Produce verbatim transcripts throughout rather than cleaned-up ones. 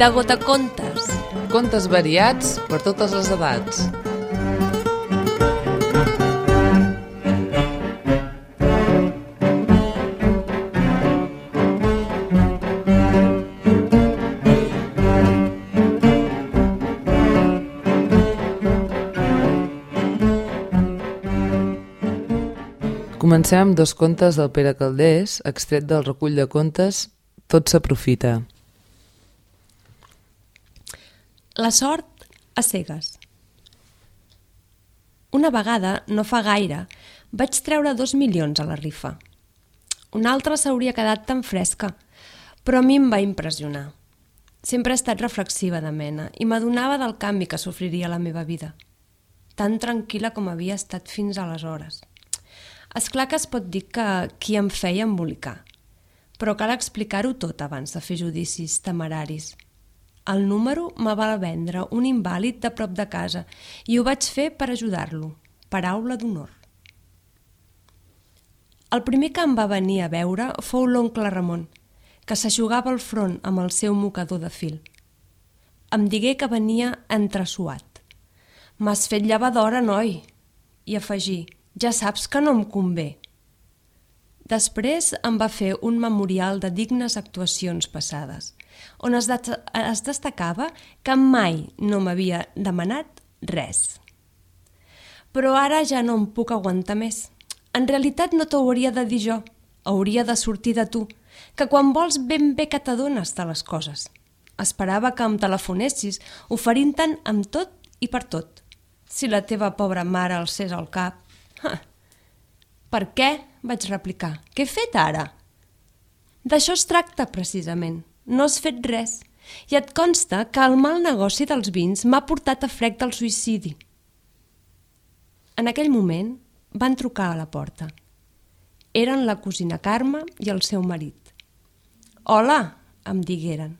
De Gotacontes. Contes variats per totes les edats. Comencem amb dos contes del Pere Calders, extret del recull de contes Tot s'aprofita. La sort a cegues. Una vegada, no fa gaire, vaig treure dos milions a la rifa. Una altra s'hauria quedat tan fresca, però a mi em va impressionar. Sempre he estat reflexiva de mena i m'adonava del canvi que sofriria la meva vida, tan tranquil·la com havia estat fins aleshores. És clar que es pot dir que qui em feia embolicar, però cal explicar-ho tot abans de fer judicis temeraris. El número me va vendre un invàlid de prop de casa i ho vaig fer per ajudar-lo, paraula d'honor. El primer que em va venir a veure fou l'oncle Ramon, que s'aixugava el front amb el seu mocador de fil. Em digué que venia entressuat. «M'has fet llevadora, noi!» i afegí: «Ja saps que no em convé». Després em va fer un memorial de dignes actuacions passades, on es, de- es destacava que mai no m'havia demanat res. Però ara ja no em puc aguantar més. En realitat no t'ho hauria de dir jo, hauria de sortir de tu, que quan vols ben bé que t'adones de les coses. Esperava que em telefonessis, oferint-te'n amb tot i per tot. Si la teva pobra mare alcés el cap... Ah. «Per què?», vaig replicar. «Què he fet ara?» «D'això es tracta, precisament. No has fet res. I et consta que el mal negoci dels vins m'ha portat a frec del suïcidi». En aquell moment van trucar a la porta. Eren la cosina Carme i el seu marit. «Hola», em digueren.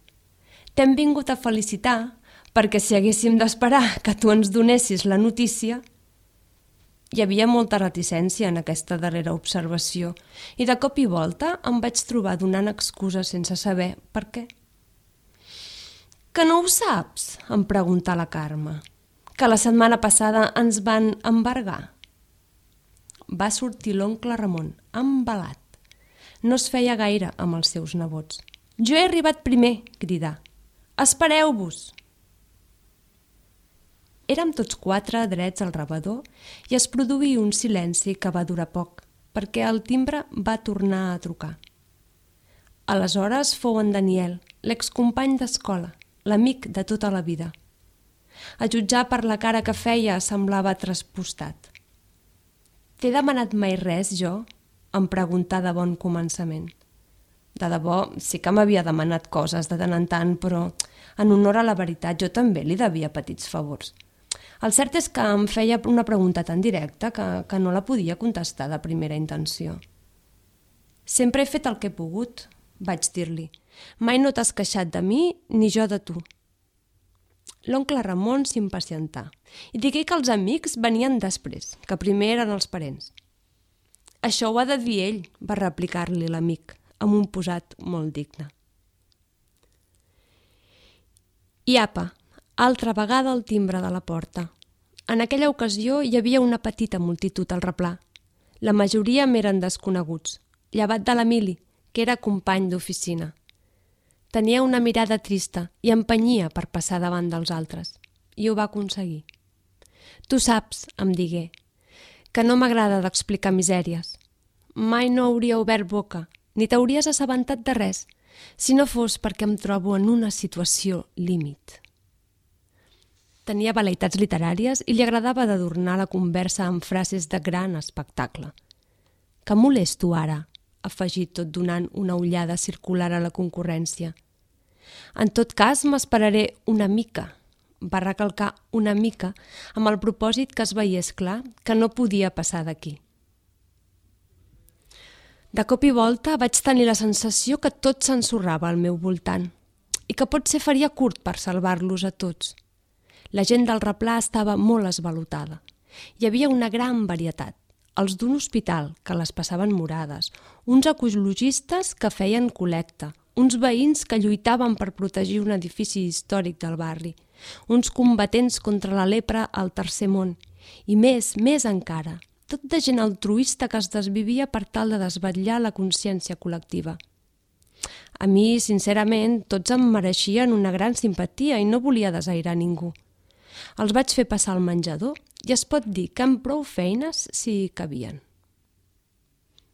«T'hem vingut a felicitar perquè si haguéssim d'esperar que tu ens donessis la notícia...» Hi havia molta reticència en aquesta darrera observació i de cop i volta em vaig trobar donant excuses sense saber per què. «Que no ho saps?», em preguntà la Carme. «Que la setmana passada ens van embargar?» Va sortir l'oncle Ramon, embalat. No es feia gaire amb els seus nebots. «Jo he arribat primer», cridà. «Espereu-vos!» Érem tots quatre drets al rebedor i es produí un silenci que va durar poc, perquè el timbre va tornar a trucar. Aleshores fou en Daniel, l'excompany d'escola, l'amic de tota la vida. A jutjar per la cara que feia semblava traspostat. «T'he demanat mai res, jo?», em preguntà de bon començament. De debò, sí que m'havia demanat coses de tant en tant, però en honor a la veritat jo també li devia petits favors. El cert és que em feia una pregunta tan directa que, que no la podia contestar de primera intenció. «Sempre he fet el que he pogut», vaig dir-li. «Mai no t'has queixat de mi ni jo de tu». L'oncle Ramon s'impacientà i digué que els amics venien després, que primer eren els parents. «Això ho ha de dir ell», va replicar-li l'amic, amb un posat molt digne. I apa, altra vegada el timbre de la porta. En aquella ocasió hi havia una petita multitud al replà. La majoria m'eren desconeguts, llevat de l'Emili, que era company d'oficina. Tenia una mirada trista i empenyia per passar davant dels altres, i ho va aconseguir. «Tu saps», em digué, «que no m'agrada d'explicar misèries. Mai no hauria obert boca, ni t'hauries assabentat de res, si no fos perquè em trobo en una situació límit». Tenia vel·leïtats literàries i li agradava d'adornar la conversa amb frases de gran espectacle. «Que molesto ara», afegit tot donant una ullada circular a la concurrència. «En tot cas m'esperaré una mica», va recalcar una mica amb el propòsit que es veiés clar que no podia passar d'aquí. De cop i volta vaig tenir la sensació que tot s'ensorrava al meu voltant i que potser faria curt per salvar-los a tots. La gent del replà estava molt esvalotada. Hi havia una gran varietat. Els d'un hospital, que les passaven morades, uns ecologistes que feien col·lecta, uns veïns que lluitaven per protegir un edifici històric del barri, uns combatents contra la lepra al tercer món, i més, més encara, tot de gent altruista que es desvivia per tal de desvetllar la consciència col·lectiva. A mi, sincerament, tots em mereixien una gran simpatia i no volia desairar ningú. Els vaig fer passar al menjador i es pot dir que amb prou feines s'hi cabien.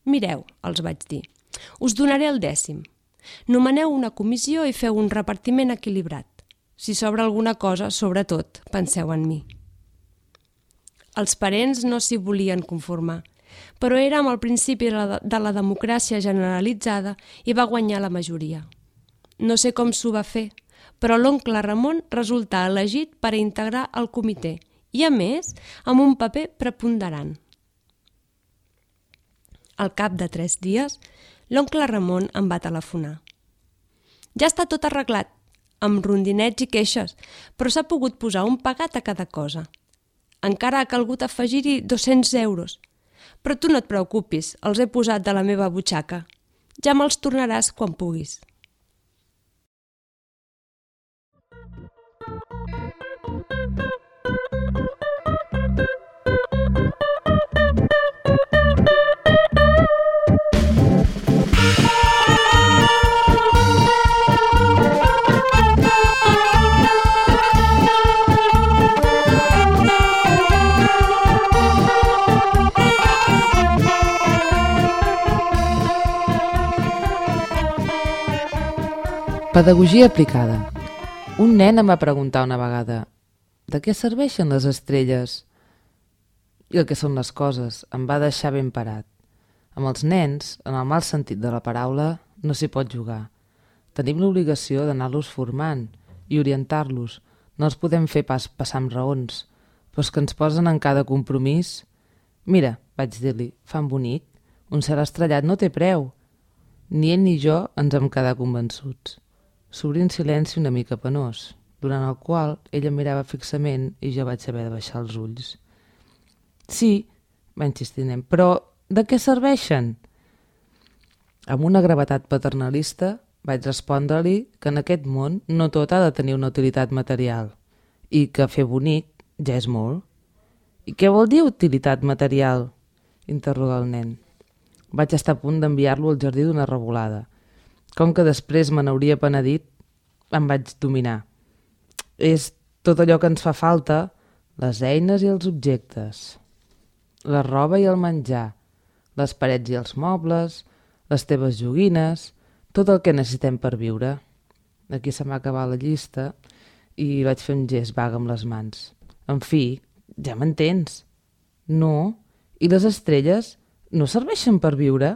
Mireu, els vaig dir, us donaré el dècim. Nomeneu una comissió i feu un repartiment equilibrat. Si sobra alguna cosa, sobretot, penseu en mi. Els parents no s'hi volien conformar, però era amb el principi de la democràcia generalitzada i va guanyar la majoria. No sé com s'ho va fer, però l'oncle Ramon resultà elegit per a integrar el comitè i, a més, amb un paper preponderant. Al cap de tres dies, l'oncle Ramon em va telefonar. Ja està tot arreglat, amb rondinets i queixes, però s'ha pogut posar un pagat a cada cosa. Encara ha calgut afegir-hi dos-cents euros. Però tu no et preocupis, els he posat de la meva butxaca. Ja me'ls tornaràs quan puguis. Pedagogia aplicada. Un nen em va preguntar una vegada «De què serveixen les estrelles?» I el que són les coses em va deixar ben parat. Amb els nens, en el mal sentit de la paraula, no s'hi pot jugar. Tenim l'obligació d'anar-los formant i orientar-los. No els podem fer pas passar amb raons, però és que ens posen en cada compromís. «Mira», vaig dir-li, «fan bonic, un cel estrellat no té preu». Ni ell ni jo ens hem quedat convençuts. S'obrí un silenci una mica penós, durant el qual ell em mirava fixament i jo vaig haver de baixar els ulls. «Sí», va insistir nen, «però de què serveixen?» Amb una gravetat paternalista vaig respondre-li que en aquest món no tot ha de tenir una utilitat material i que fer bonic ja és molt. «I què vol dir utilitat material?», interroga el nen. Vaig estar a punt d'enviar-lo al jardí d'una revolada. Com que després me n'hauria penedit, em vaig dominar. És tot allò que ens fa falta, les eines i els objectes, la roba i el menjar, les parets i els mobles, les teves joguines, tot el que necessitem per viure. Aquí se'm va acabar la llista i vaig fer un gest vague amb les mans. En fi, ja m'entens. No? I les estrelles no serveixen per viure?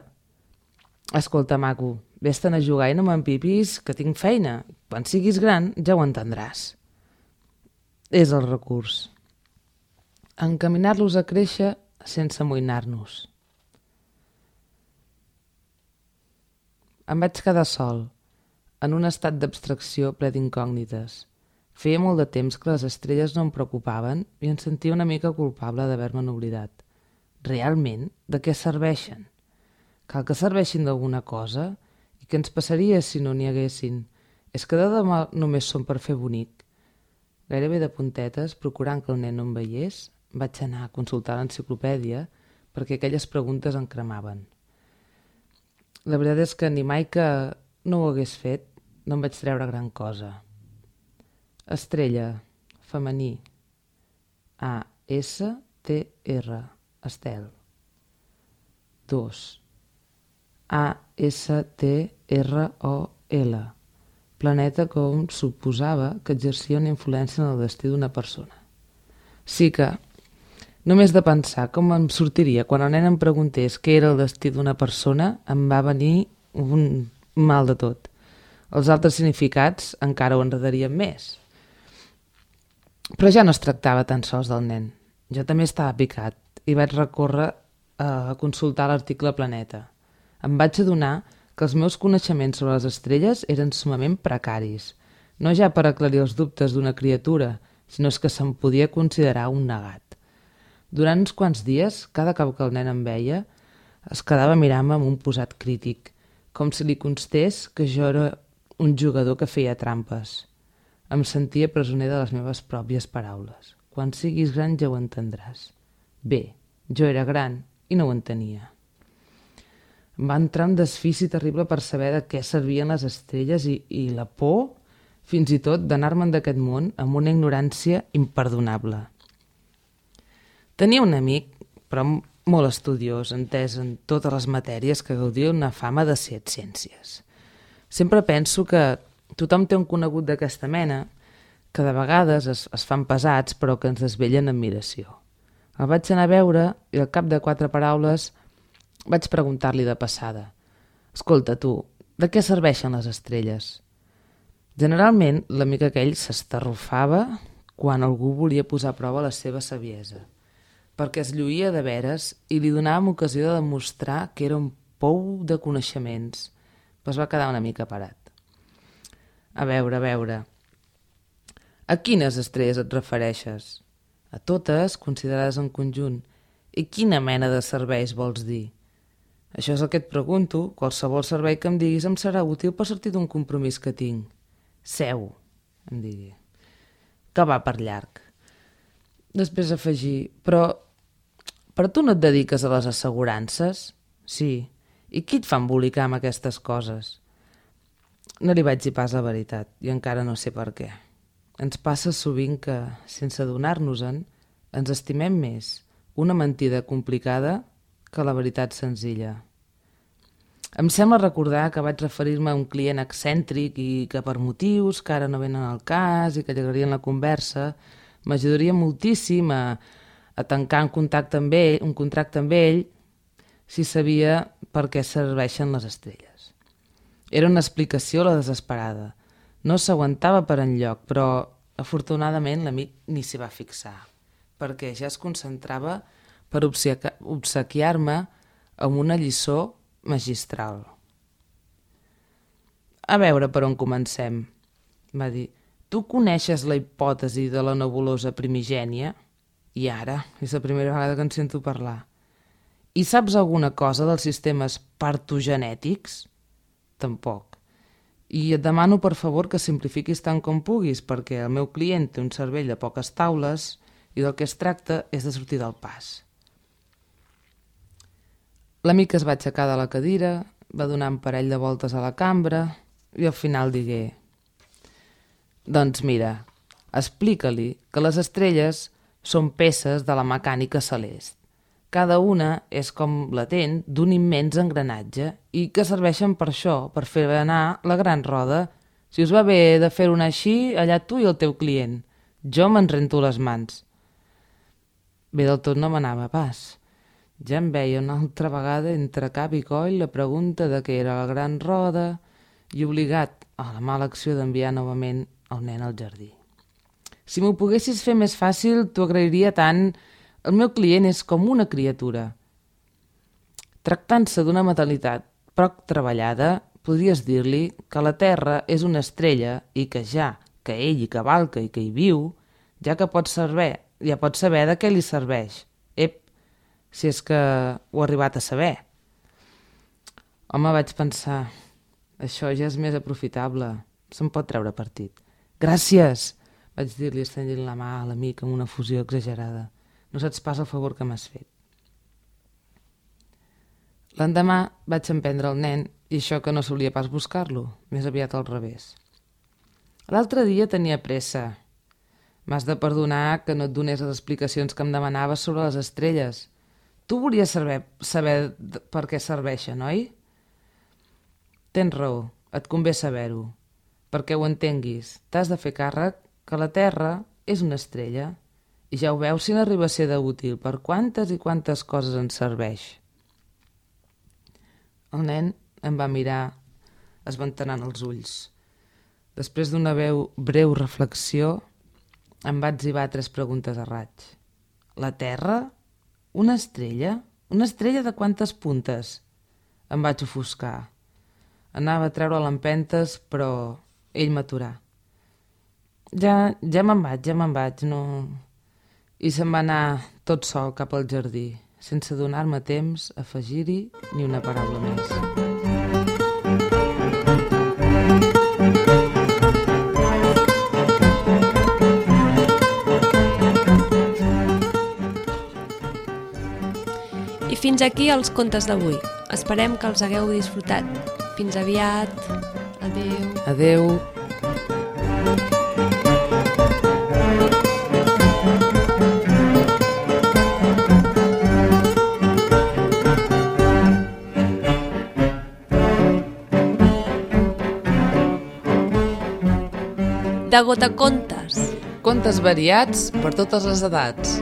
Escolta, maco, vés-te'n a jugar i no m'empipis, que tinc feina. Quan siguis gran ja ho entendràs. És el recurs. Encaminar-los a créixer sense amoïnar-nos. Em vaig quedar sol, en un estat d'abstracció ple d'incògnites. Feia molt de temps que les estrelles no em preocupaven i em sentia una mica culpable d'haver-me'n oblidat. Realment, de què serveixen? Cal que serveixin d'alguna cosa? I què ens passaria si no n'hi haguessin? És que de demà només són per fer bonic. Gairebé de puntetes, procurant que el nen no em veiés, vaig anar a consultar l'enciclopèdia perquè aquelles preguntes em cremaven. La veritat és que ni mai que no ho hagués fet no em vaig treure gran cosa. Estrella, femení, A S T R, estel. Dos. A S T R O L, planeta com suposava que exercia una influència en el destí d'una persona. Sí que, només de pensar com em sortiria quan el nen em preguntés què era el destí d'una persona, em va venir un mal de tot. Els altres significats encara ho enredarien més. Però ja no es tractava tan sols del nen. Jo també estava picat i vaig recórrer a consultar l'article Planeta. Em vaig adonar que els meus coneixements sobre les estrelles eren sumament precaris, no ja per aclarir els dubtes d'una criatura, sinó que se'm podia considerar un negat. Durant uns quants dies, cada cop que el nen em veia, es quedava mirant-me amb un posat crític, com si li constés que jo era un jugador que feia trampes. Em sentia presoner de les meves pròpies paraules. Quan siguis gran ja ho entendràs. Bé, jo era gran i no ho entenia. Em va entrar un desfici terrible per saber de què servien les estrelles i, i la por, fins i tot, d'anar-me'n d'aquest món amb una ignorància imperdonable. Tenia un amic, però molt estudiós, entès en totes les matèries, que gaudia una fama de ser ciències. Sempre penso que tothom té un conegut d'aquesta mena, que de vegades es, es fan pesats però que ens desvellen admiració. El vaig anar a veure i al cap de quatre paraules vaig preguntar-li de passada: «Escolta, tu, de què serveixen les estrelles?» Generalment, l'amic aquell s'estarrufava quan algú volia posar a prova la seva saviesa, perquè es lluïa de veres i li donàvem ocasió de demostrar que era un pou de coneixements, però es va quedar una mica parat. A veure, a veure... A quines estrelles et refereixes? A totes, considerades en conjunt. I quina mena de serveis vols dir? Això és el que et pregunto. Qualsevol servei que em diguis em serà útil per sortir d'un compromís que tinc. Seu, em digui, que va per llarg. Després afegir, però, però tu no et dediques a les assegurances? Sí. I qui et fa embolicar amb aquestes coses? No li vaig dir pas la veritat, i encara no sé per què. Ens passa sovint que, sense adonar-nos-en, ens estimem més una mentida complicada que la veritat senzilla. Em sembla recordar que vaig referir-me a un client excèntric i que per motius que ara no venen al cas i que allargarien la conversa m'ajudaria moltíssim a, a tancar un contacte amb ell, un contracte amb ell si sabia per què serveixen les estrelles. Era una explicació a la desesperada. No s'aguantava per enlloc, però afortunadament l'amic ni s'hi va fixar, perquè ja es concentrava per obsequiar-me amb una lliçó magistral. A veure per on comencem, va dir. Tu coneixes la hipòtesi de la nebulosa primigènia? I ara, és la primera vegada que en sento parlar. I saps alguna cosa dels sistemes partogenètics? Tampoc. I et demano, per favor, que simplifiquis tant com puguis, perquè el meu client té un cervell de poques taules i del que es tracta és de sortir del pas. L'amic es va aixecar de la cadira, va donar un parell de voltes a la cambra i al final digué: «Doncs mira, explica-li que les estrelles són peces de la mecànica celest. Cada una és com latent d'un immens engranatge i que serveixen per això, per fer anar la gran roda. Si us va bé de fer-ho així, allà tu i el teu client. Jo me'n rento les mans». Bé, del tot no m'anava pas. Ja em veia una altra vegada entre cap i coll la pregunta de què era la gran roda i obligat a la mala acció d'enviar novament el nen al jardí. Si m'ho poguessis fer més fàcil, t'ho agrairia tant. El meu client és com una criatura. Tractant-se d'una metalitat poc treballada, podries dir-li que la Terra és una estrella i que ja que ell hi cavalca i que hi viu, ja que pot saber, ja pot saber de què li serveix. Ep, si és que ho ha arribat a saber. Home, vaig pensar, això ja és més aprofitable, se'n pot treure partit. Gràcies, vaig dir-li estendint la mà a l'amic amb una fusió exagerada. No saps pas el favor que m'has fet. L'endemà vaig emprendre el nen i això que no solia pas buscar-lo, més aviat al revés. L'altre dia tenia pressa. M'has de perdonar que no et donés les explicacions que em demanaves sobre les estrelles. Tu volies saber, saber per què serveixen, oi? Tens raó, et convé saber-ho. Perquè ho entenguis, t'has de fer càrrec que la Terra és una estrella. I ja ho veus si n'arriba a ser d'útil, per quantes i quantes coses ens serveix. El nen em va mirar esventanant els ulls. Després d'una breu reflexió, em va etzibar tres preguntes a raig. La Terra? Una estrella? Una estrella de quantes puntes? Em vaig ofuscar. Anava a treure l'empentes, però ell m'aturà. Ja, ja me'n vaig, ja me'n vaig, no... I se'n va anar tot sol cap al jardí, sense donar-me temps a afegir-hi ni una paraula més. fins aquí els contes d'avui. Esperem que els hagueu disfrutat. Fins aviat. Adéu. Adéu. De Gotacontes. Contes variats per totes les edats.